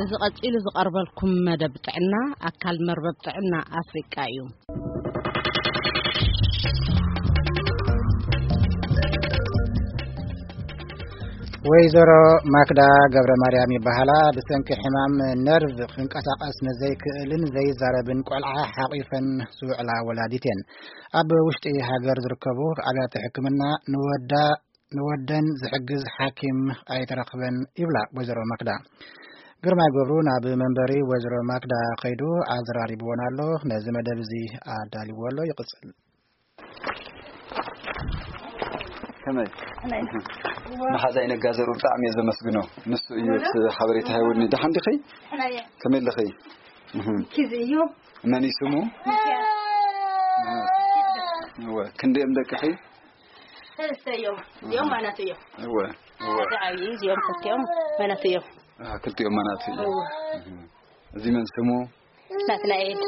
እዚ ቀጺሉ ዝቐርበልኩም መደብ ጥዕና ኣካል መርበብ ጥዕና ኣፍሪቃ እዩ። ወይዘሮ ማክዳ ገብረ ማርያም ይበሃላ። ብሰንኪ ሕማም ነርቭ ክንቀሳቐስ ንዘይክእልን ዘይዛረብን ቆልዓ ሓቒፈን ዝውዕላ ወላዲት እየን። ኣብ ውሽጢ ሃገር ዝርከቡ ኣብያተ ሕክምና ንወዳ ንወደን ዝሕግዝ ሓኪም ኣይተረኽበን ይብላ ወይዘሮ ማክዳ። ግርማይ ገብሩ ናብ መንበሪ ወይዘሮ ማክዳ ከይዱ ኣዘራሪብዎን ኣሎ። ነዚ መደብ እዚ ኣዳልዎ ኣሎ። ይቕጽል። ከመይ? ከመይ? መሓዛይ ነጋ ዘርኡ ብጣዕሚ እየ ዘመስግኖ። ንሱ እዩ እቲ ሓበሬታ ሃይወኒ። ደሓን ዲኺ? ደሓን እየ። ከመይ ኣለኺ? እህ። ኪዝ እዩ። መን እዩ ስሙ? ሚኪያስ። እህ። እወ፣ ክንደዮም ደቅኺ? ሰለስተ እዮም። እዚኦም ማናት እዮም። እወ፣ እወ። ሓደ ዓብዪ፣ እዚኦም ክልቲኦም ማናት እዮም። ኣሃ፣ ክልቲኦም ማናት እዮም። እወ። እህ። እዚ መን ስሙ? ናትናኤል።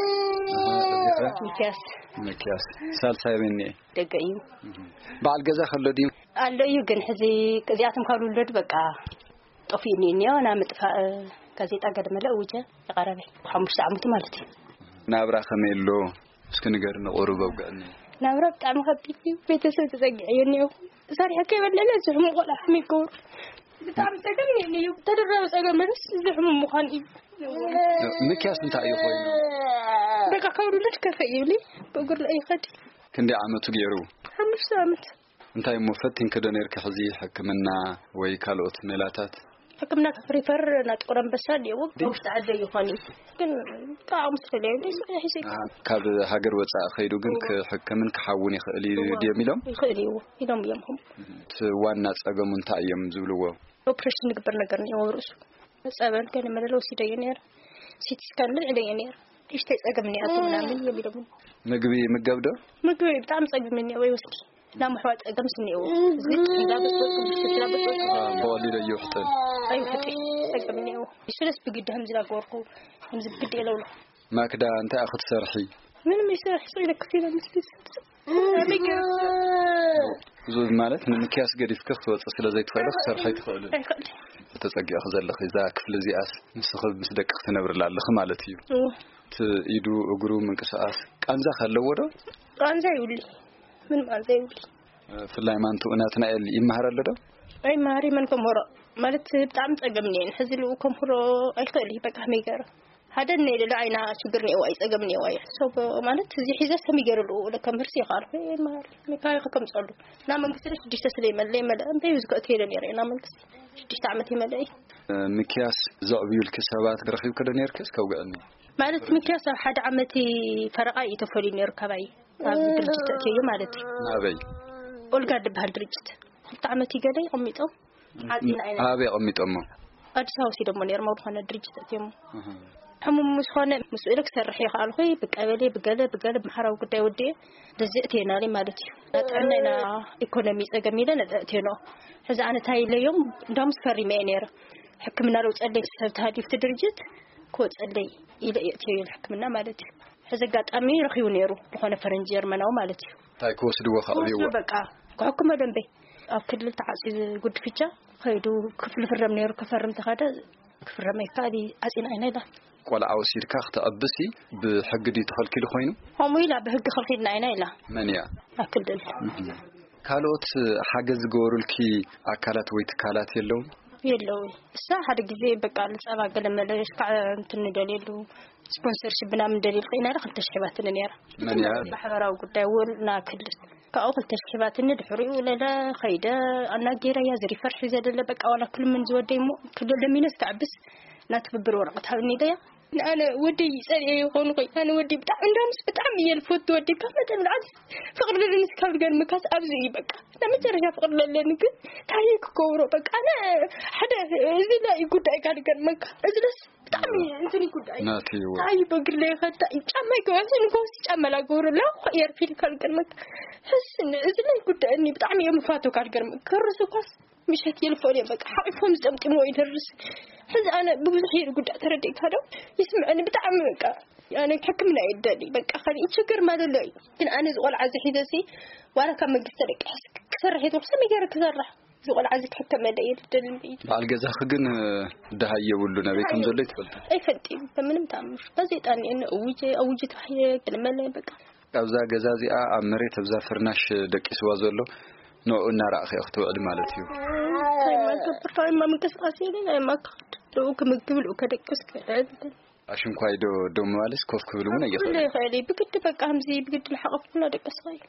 ኣሃ፣ እዚ ኸ? ሚኪያስ። ሚኪያስ። ሳልሳይ መን እዩ? ደገ እዩ። እህ። በዓል ገዛ ከሎ ድዩ? ኣሎ እዩ፣ ግን ሕዚ እዚኣቶም ካብ ዝውለዱ በቃ ጠፊኡኒ እኒኦ። ናብ ምጥፋእ ጋዜጣ ገለ መለ እውጀ ይቐረበ። ሓሙሽተ ዓመቱ ማለት እዩ። ናብራ ከመይ ኣሎ? እስኪ ንገርኒ ቁሩብ ኣውግዕኒ። ናብራ ብጣዕሚ ከቢድ እዩ። ቤተሰብ ተጸጊዐዮ እኒኦ። ሰሪሐ ከይበለለ ዝሕሙ ቆልዓ ከመይ ይገብሩ? ብጣዕሚ ጸገም እዩ እኒኦ። ተደራቢ ጸገም መለስ ዝሕሙ ምዃን እዩ። ምክያስ እንታይ እዩ ኮይኑ? በቃ ካብ ውልድ ከፈ ይብሊ። ብእግር ላይ ይኸድ። ክንደይ ዓመቱ ገይሩ? ሓሙሽተ ዓመት። እንታይ እሞ ፈቲንኪ ዶ ነርኪ ሕዚ ሕክምና ወይ ካልኦት ሜላታት? ሕክምና ሪፈር ናብ ጥቁር ኣንበሳ እኒአዎ። ኣብ ውሽጢ ዓዲ ይኾን እዩ። ግን ብጣዕሚ ስለለየ እንደ ሰው ይሕሰይ። ኣሃ፣ ካብ ሃገር ወጻኢ ከይዱ ግን ክሕክምን ክሓውን ይኽእል እዩ እዎ። ድዮም ኢሎም? ይኽእል እዩ ኢሎም እዮም። እቲ ዋና ጸገሙ እንታይ እዮም ዝብልዎ? ኦፕሬሽን ንግበር ነገር እኒአዎ ርእሱ። ጸበል ገለ መለለ ወሲደዮ ነይረ። ሲቲ ስካን ልዕለዮ ነይረ። እሽተይ ጸገም እኒኣቶ ምናምን እዮም ኢሎምኒ። ምግቢ ይምገብ ዶ? ምግቢ ብጣዕሚ ጸገም እኒአዎ ይወስድ። ናብ ምሕዋእ ጸገም ስኒእዎ። እዚ ጥሒላ ብጥብጥ፣ ብሽክላ ብጥብጥ። ኣዎ፣ ብቐሊሉ እዩ ይውሕጥን። ኣይውሕጥን። ጸገም እኒአዎ። ስለስ ብግዲ ከምዚ ላገበርኩ፣ ከምዚ ብግዲ የለውሎ። ማክዳ፣ እንታይ ኢኺ ትሰርሒ? ምንም ይሰርሕ፣ ስቕ ኢለ ክፍ ኢለ ምስ ቤተሰብ። ኣበይ ገይረ ክሰርሕ? እዚ ማለት ንምክያስ ገዲፍኪ ክትወፂ ስለ ዘይትኽእሊ ክትሰርሒ ኣይትኽእልን። ኣይክእልን። ተጸጊዕኺ ዘለኺ እዛ ክፍሊ እዚኣስ ንስኺ ምስ ደቅኺ ትነብርላ ኣለኺ ማለት እዩ። እዎ። እቲ ኢዱ እግሩ ምንቅስቓስ ቃንዛ ከለዎ ዶ? ቃንዛ ይብሊ። ምንም ቃንዛ ይብሊ። ብፍላይ ማንቱ ናትናኤል ይመሃር ኣሎ ዶ? ኣይመሃር፣ መን ከምህሮ? ማለት ብጣዕሚ ጸገም እኒአን። ሕዚ ልኡ ከምህሮ ኣይክእል እዩ፣ በቃ ከመይ ገይረ? ሓደ እኒአ ኢለ ኣይና ሽግር እኒአዋ እዩ፣ ጸገም እኒአዋ እዩ። ሶ ማለት እዚ ሒዘ ከመይ ገይረ ልኡ ከምህርሲ ይኸኣልኩ፣ ኣይመሃር። መካሪ ከምጸሉ። ናብ መንግስቲ ሽዱሽተ ስለ ይመለ፣ ይመለ። እንታይ እዩ ዝከእት ኢለ ነይረ ናብ መንግስቲ። ሽዱሽተ ዓመት ይመለ እዩ። ምክያስ ዘዕብዩልኪ ሰባት ረኺብኪ ዶ ነይርኪ? እስከ ኣውግዕኒ። ማለት ምክያስ ኣብ ሓደ ዓመት ፈረቓ እዩ ተፈልዩ ነይሩ ካባይ። ኣብ ድርጅት ተእትዮ ማለት እዩ። ናበይ? ኦልጋ ዝበሃል ድርጅት። ክልተ ዓመት እዩ ገለ ይቐሚጦም። ዓጺና ኢና። ኣበይ ኣቐሚጦሞ? ኣዲስ ኣበባ ወሲዶሞ ነይሮም ኣብ ዝኾነ ድርጅት ተእትዮሞ። እህ። ሕሙም ምስ ኾነ ምስ ኢለ ክሰርሕ ይኸኣልኩ። ብቀበሌ፣ ብገለ፣ ብገለ ማሕበራዊ ጉዳይ ወዲኤ በዚ እትየናለይ ማለት እዩ። ጥዕና ኢና ኢኮኖሚ ጸገም ኢለ ነዚ እትየኖ። ሕዚ ኣነ እንታይ ኢለዮም? እንዳውም ፈሪመ እየ ነይረ። ሕክምና ለውጸለይ ሰብ ተሃልዩ እቲ ድርጅት ክወጸለይ ኢለ እየ እትየዮ ሕክምና ማለት እዩ። ሕዚ ኣጋጣሚ ረኺቡ ነይሩ፣ ዝኾነ ፈረንጂ ጀርመናዊ ማለት እዩ። እንታይ ክወስድዎ ከዕብይዎ? ክወስዶ በቃ፣ ክሕክሞ ደንበይ። ኣብ ክልል ተዓጽዩ ጉድፍቻ ኸይዱ ክፍሊ ፍረም ነይሩ፣ ክፈርም ተኸደ፣ ክፍረም ኣይከኣል እዩ፣ ዓጺና ኢና ኢላ። ቆልዓ ወሲድካ ክተዕብሲ ብሕጊ ድዩ ተኸልኪሉ ኮይኑ? ከምኡ ኢላ ብሕጊ ኸልኪልና ኢና ኢላ። መን እያ? ኣብ ክልል። እህ። ካልኦት ሓገዝ ዝገበሩልኪ ኣካላት ወይ ትካላት የለውን? የለውን። እሳ ሓደ ግዜ በቃ ንጸባ ገለ መለ ከዓ እንትን ንደልየሉ ስፖንሰርሺፕ ምናምን ደሊል ኸይና ኢላ ክልተ ሺሕ ሂባትኒ ነይራ። መን እያ? ማሕበራዊ ጉዳይ እውን ና ክልል ካብኡ ክልተ ሺሕ ሂባትኒ። ድሕሪኡ ለለ ኸይደ ኣናጌረያ ዝሪፈር ሒዘ ደለ በቃ ዋላ ክልምን ዝወደይ እሞ ክልል ለሚነስ ክዕብስ እና ትብብር ወረቐት ሃብኒ ኢለያ። ኣነ ወደይ ይጸልኤ ይኾኑ ኾይ ኣነ ወደይ ብጣዕሚ እንዳምስ ብጣዕሚ እየ ልፈቱ ወደይ ካብ መጠን ብልዓት ፍቕሪ ለለኒ ስካብ ገርምካስ ኣብዚ እዩ በቃ። ናይ መጨረሻ ፍቕሪ ለለኒ ግን ታየ ክገብሮ በቃ። ኣነ ሓደ እዚ ላይ ጉዳይ ካብ ገርመካ እዚለስ ብጣዕሚ እንትን ጉዳይ ናቲ እዩ። ታይ በግር ላይ ከታ ጫማ ይገባስ ንጎስ ጫማ ላገሩ ላ ኤርፊል ካልገርመካ። ሕስ እዚ ላይ ጉዳይ እኒ ብጣዕሚ እዮም ፋቶ ካልገርመ ከርሱ ኳስ ምሸት የልፎን እዮም በቃ ሓቂፎም ዝጠምጥምዎ ይደርስ። ሕዚ ኣነ ብብዙሕ የር ጉዳይ ተረዲእካ ዶ ይስምዐኒ ብጣዕሚ በቃ። ኣነ ሕክምና የደሊ በቃ ካልእ ችግር ማለት ኣሎ እዩ። ግን ኣነ ዝቆልዓ ዝሒዘሲ ዋላ ካብ መንግስቲ ደቂ ሕስ ክሰርሕ የትወርሰ ነገር ክሰርሕ እዚ ቆልዓ እዚ ክሕከመለይ እየ ዝደሊ እምበይ። በዓል ገዛኺ ግን ደሃይ የብሉ፣ ናበይ ከም ዘሎ ይትፈልጡ? ኣይፈልጥ እዩ። በምንም ተኣምር ጋዜጣ እኒኤ፣ እውጀ፣ እውጅ ተባሂለ፣ ክንመለ በቃ። ኣብዛ ገዛ እዚኣ፣ ኣብ መሬት ኣብዛ ፍርናሽ ደቂስዋ ዘሎ፣ ንዕኡ እናረኣኺ ክትውዕሊ ማለት እዩ። እንታይ ማገብር፣ እንታይ ማ ምንቅስቃስ የለን፣ እንታይ ማ ክኸድ፣ ልኡ ክምግብ፣ ልኡ ከደቅስ ክዕል። ኣሽንኳይ ዶ ደው ምባልስ ኮፍ ክብል እውን ኣይኽእልን? ይኽእል እዩ። ብግዲ በቃ፣ ከምዚ ብግዲ እናሓቐፍኩ እናደቀስካ እዩ።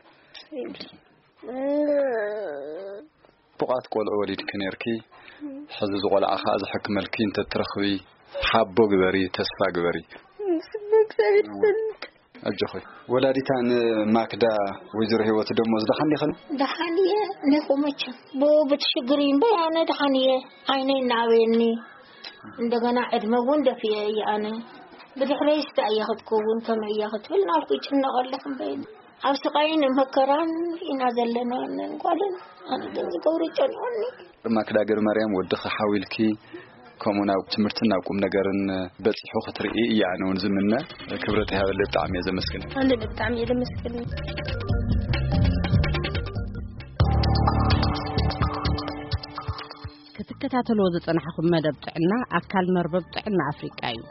ቡቓት ቆልዑ ወሊድኪ ነርኪ፣ ሕዚ ዝቆልዓ ኸዓ ዝሕክመልኪ እንተትረኽቢ፣ ሓቦ ግበሪ፣ ተስፋ ግበሪ። ብእግዚኣብሔር ይፈልጥ። ኣጆኺ። ወላዲታ ንማክዳ ወይዘሮ ህይወት ደሞዝ ደሓን ዲኽን? ደሓን እየ፣ እኔ እኮ መቸም ብኡ ብትሽግር እምበር ኣነ ደሓን እየ። ዓይነይ እናኣበየኒ፣ እንደገና ዕድመ እውን ደፊኤ እየ ኣነ። ብድሕረይስ እንታይ እያ ክትከውን፣ ከመይ እያ ክትብል ናብኩ ይጭነቕ ኣለኹ እምበይኒ። ኣብ ስቓይን መከራን ኢና ዘለና፣ ነን ጓልን ኣነ ግን ዝገብሮ ጨኒቑኒ። ማክዳ ገር ማርያም ወድኺ ሓዊልኪ ከምኡ ናብ ትምህርትን ናብ ቁም ነገርን በፂሑ ክትርኢ እያ ኣነ እውን ዝምነ። ክብረት ይሃበለይ፣ ብጣዕሚ እየ ዘመስግን። ኣነ ብጣዕሚ እየ ዘመስግን። ክትከታተልዎ ዝጸናሕኹም መደብ ጥዕና ኣካል መርበብ ጥዕና ኣፍሪቃ እዩ።